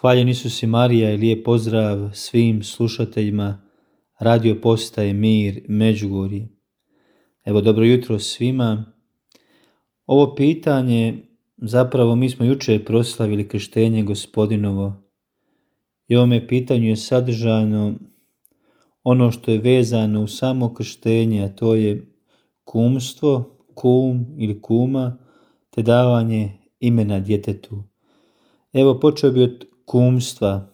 Hvaljen Isus i Marija i lijep pozdrav svim slušateljima radio postaje Mir Međugorje. Evo, dobro jutro svima. Ovo pitanje, zapravo mi smo jučer proslavili krštenje Gospodinovo i ovome pitanju je sadržano ono što je vezano u samo krštenje, a to je kumstvo, kum ili kuma, te davanje imena djetetu. Evo, počeo bi od kumstva.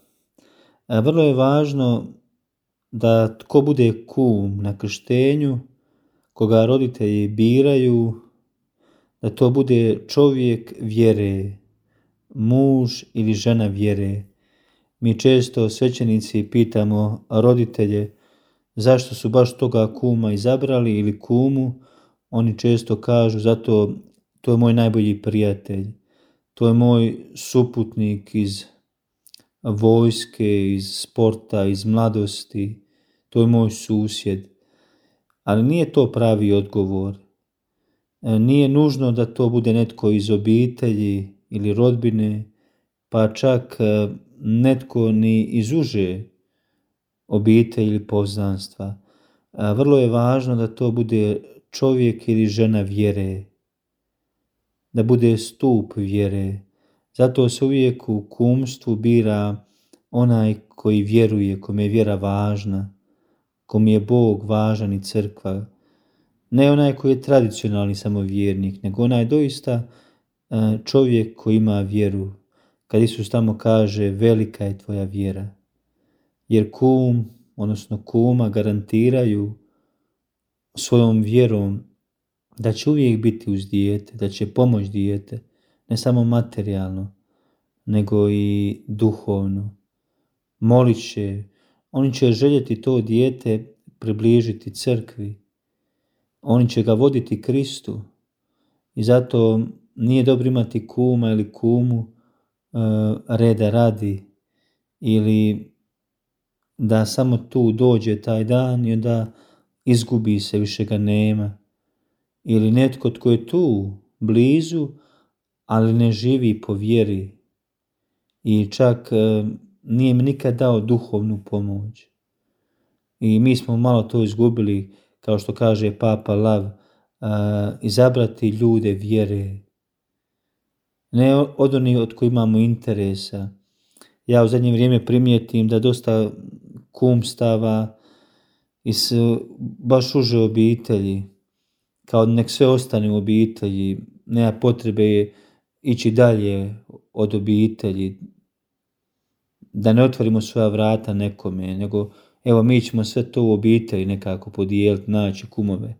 Vrlo je važno da tko bude kum na krštenju, koga roditelji biraju, da to bude čovjek vjere, muž ili žena vjere. Mi često svećenici pitamo roditelje zašto su baš toga kuma izabrali ili kumu. Oni često kažu zato to je moj najbolji prijatelj, to je moj suputnik iz vojske, iz sporta, iz mladosti, to je moj susjed. Ali nije to pravi odgovor. Nije nužno da to bude netko iz obitelji ili rodbine, pa čak netko ni iz uže obitelji ili poznanstva. Vrlo je važno da to bude čovjek ili žena vjere, da bude stup vjere. Zato se uvijek u kumstvu bira onaj koji vjeruje, kome je vjera važna, kome je Bog važan i crkva. Ne onaj koji je tradicionalni samovjernik, nego onaj doista čovjek koji ima vjeru. Kad Isus tamo kaže velika je tvoja vjera. Jer kum, odnosno kuma, garantiraju svojom vjerom da će uvijek biti uz dijete, da će pomoći dijete, ne samo materijalno, nego i duhovno. Molit će, oni će željeti to dijete približiti crkvi, oni će ga voditi Kristu i zato nije dobro imati kuma ili kumu reda radi ili da samo tu dođe taj dan i onda izgubi se, više ga nema. Ili netko tko je tu blizu, ali ne živi po vjeri i čak nije mi nikad dao duhovnu pomoć. I mi smo malo to izgubili, kao što kaže Papa Lav, izabrati ljude vjere. Ne od onih od koji imamo interesa. Ja u zadnje vrijeme primijetim da dosta kumstava iz baš uže obitelji, kao nek sve ostane u obitelji, nema potrebe ići dalje od obitelji, da ne otvorimo svoja vrata nekome, nego evo mi ćemo sve to u obitelji nekako podijeliti, naći kumove.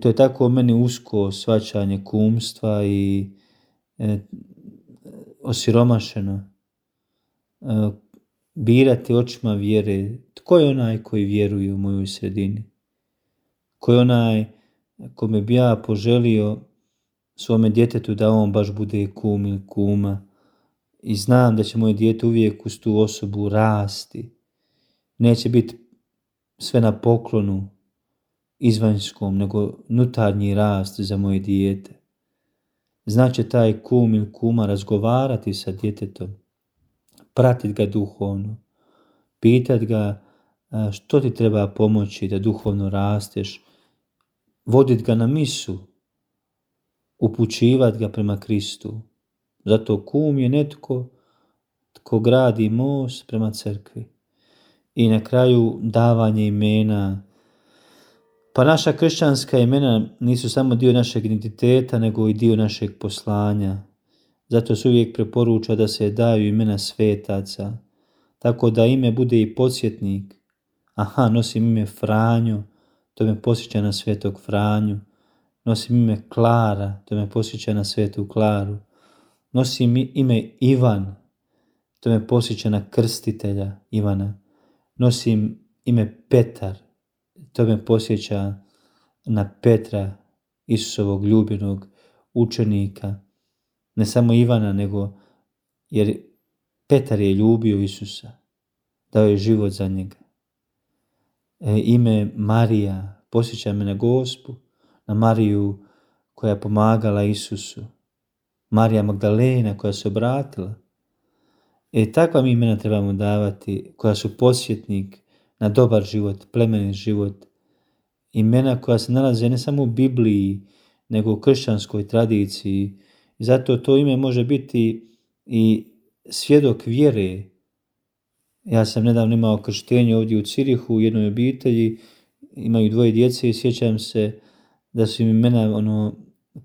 To je tako meni usko shvaćanje kumstva i osiromašeno. Birati očima vjere. Tko je onaj koji vjeruje u mojoj sredini? Ko je onaj kome bi ja poželio svome djetetu da on baš bude kum ili kuma i znam da će moje dijete uvijek uz tu osobu rasti. Neće biti sve na poklonu izvanjskom, nego unutarnji rast za moje dijete. Znači taj kum ili kuma razgovarati sa djetetom, pratiti ga duhovno, pitati ga što ti treba pomoći da duhovno rasteš, voditi ga na misu, upućivati ga prema Kristu. Zato kum je netko tko gradi most prema crkvi. I na kraju davanje imena. Pa naša kršćanska imena nisu samo dio našeg identiteta, nego i dio našeg poslanja. Zato se uvijek preporuča da se daju imena svetaca, tako da ime bude i podsjetnik. Nosim ime Franjo, to me posjeća na svetog Franju. Nosim ime Klara, to me posjeća na svetu Klaru. Nosim ime Ivan, to me posjeća na krstitelja Ivana. Nosim ime Petar, to me posjeća na Petra, Isusovog ljubljenog učenika. Ne samo Ivana, nego jer Petar je ljubio Isusa, dao je život za njega. Ime Marija posjeća me na Gospu, na Mariju koja je pomagala Isusu. Marija Magdalena koja se obratila. Takva mi imena trebamo davati, koja su podsjetnik na dobar život, plemenit život. Imena koja se nalaze ne samo u Bibliji, nego u kršćanskoj tradiciji. I zato to ime može biti i svjedok vjere. Ja sam nedavno imao krštenje ovdje u Cirihu u jednoj obitelji, imaju 2 djece i sjećam se da su im imena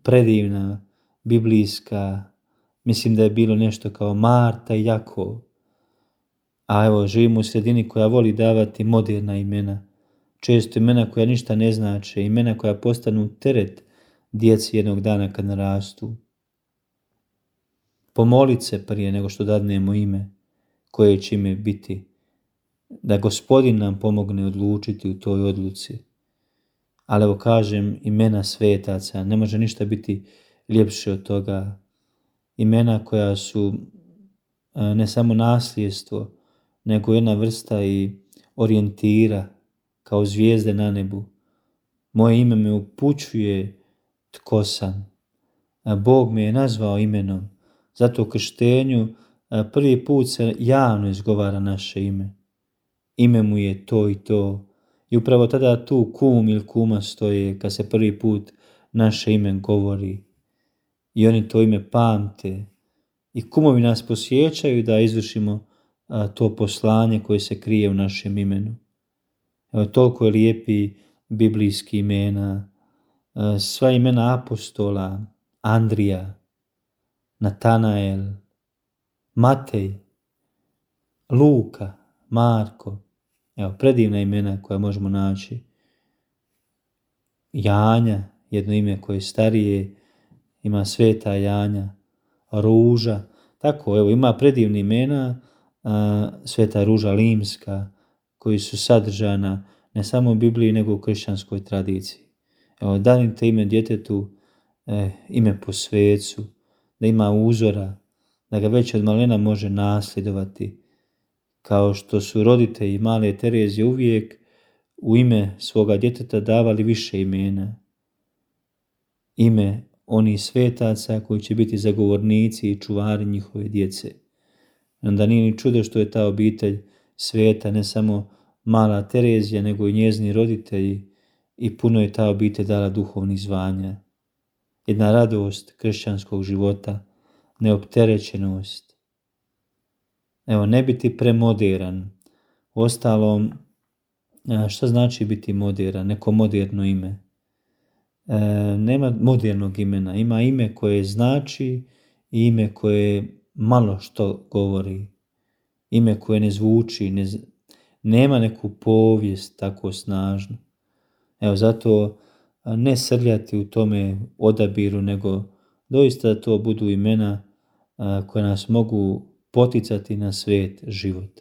predivna, biblijska. Mislim da je bilo nešto kao Marta i Jakov. A evo, živimo u sredini koja voli davati moderna imena. Često imena koja ništa ne znače, imena koja postanu teret djeci jednog dana kad narastu. Pomolit se prije nego što dadnemo ime, koje će ime biti, da Gospodin nam pomogne odlučiti u toj odluci. Ali evo kažem, imena svetaca, ne može ništa biti ljepše od toga. Imena koja su ne samo nasljedstvo, nego jedna vrsta i orijentira, kao zvijezde na nebu. Moje ime me upućuje tko sam. Bog me je nazvao imenom. Zato u krštenju prvi put se javno izgovara naše ime. Ime mu je to i to. I upravo tada tu kum ili kuma stoje kad se prvi put naše ime govori. I oni to ime pamte. I kumovi nas posjećaju da izvršimo to poslanje koje se krije u našem imenu. Evo, toliko je lijepi biblijski imena. Sva imena apostola, Andrija, Natanael, Matej, Luka, Marko. Evo, predivna imena koja možemo naći. Janja, jedno ime koje je starije, ima Sveta Janja, Ruža. Tako, evo, ima predivna imena, Sveta Ruža Limska, koji su sadržana ne samo u Bibliji, nego u kršćanskoj tradiciji. Evo, danite ime djetetu, ime po svecu, da ima uzora, da ga već od malena može nasljedovati, kao što su roditelji male Terezije uvijek u ime svoga djeteta davali više imena. Ime onih svetaca koji će biti zagovornici i čuvari njihove djece. Onda nije ni čudo što je ta obitelj sveta, ne samo mala Terezija, nego i njezini roditelji, i puno je ta obitelj dala duhovnih zvanja. Jedna radost kršćanskog života, neopterećenost. Evo, ne biti premoderan. Uostalom, šta znači biti moderan? Neko moderno ime. Nema modernog imena. Ima ime koje znači i ime koje malo što govori. Ime koje ne zvuči, nema neku povijest tako snažnu. Evo, zato ne srljati u tome odabiru, nego doista da to budu imena koja nas mogu poticati na svet život.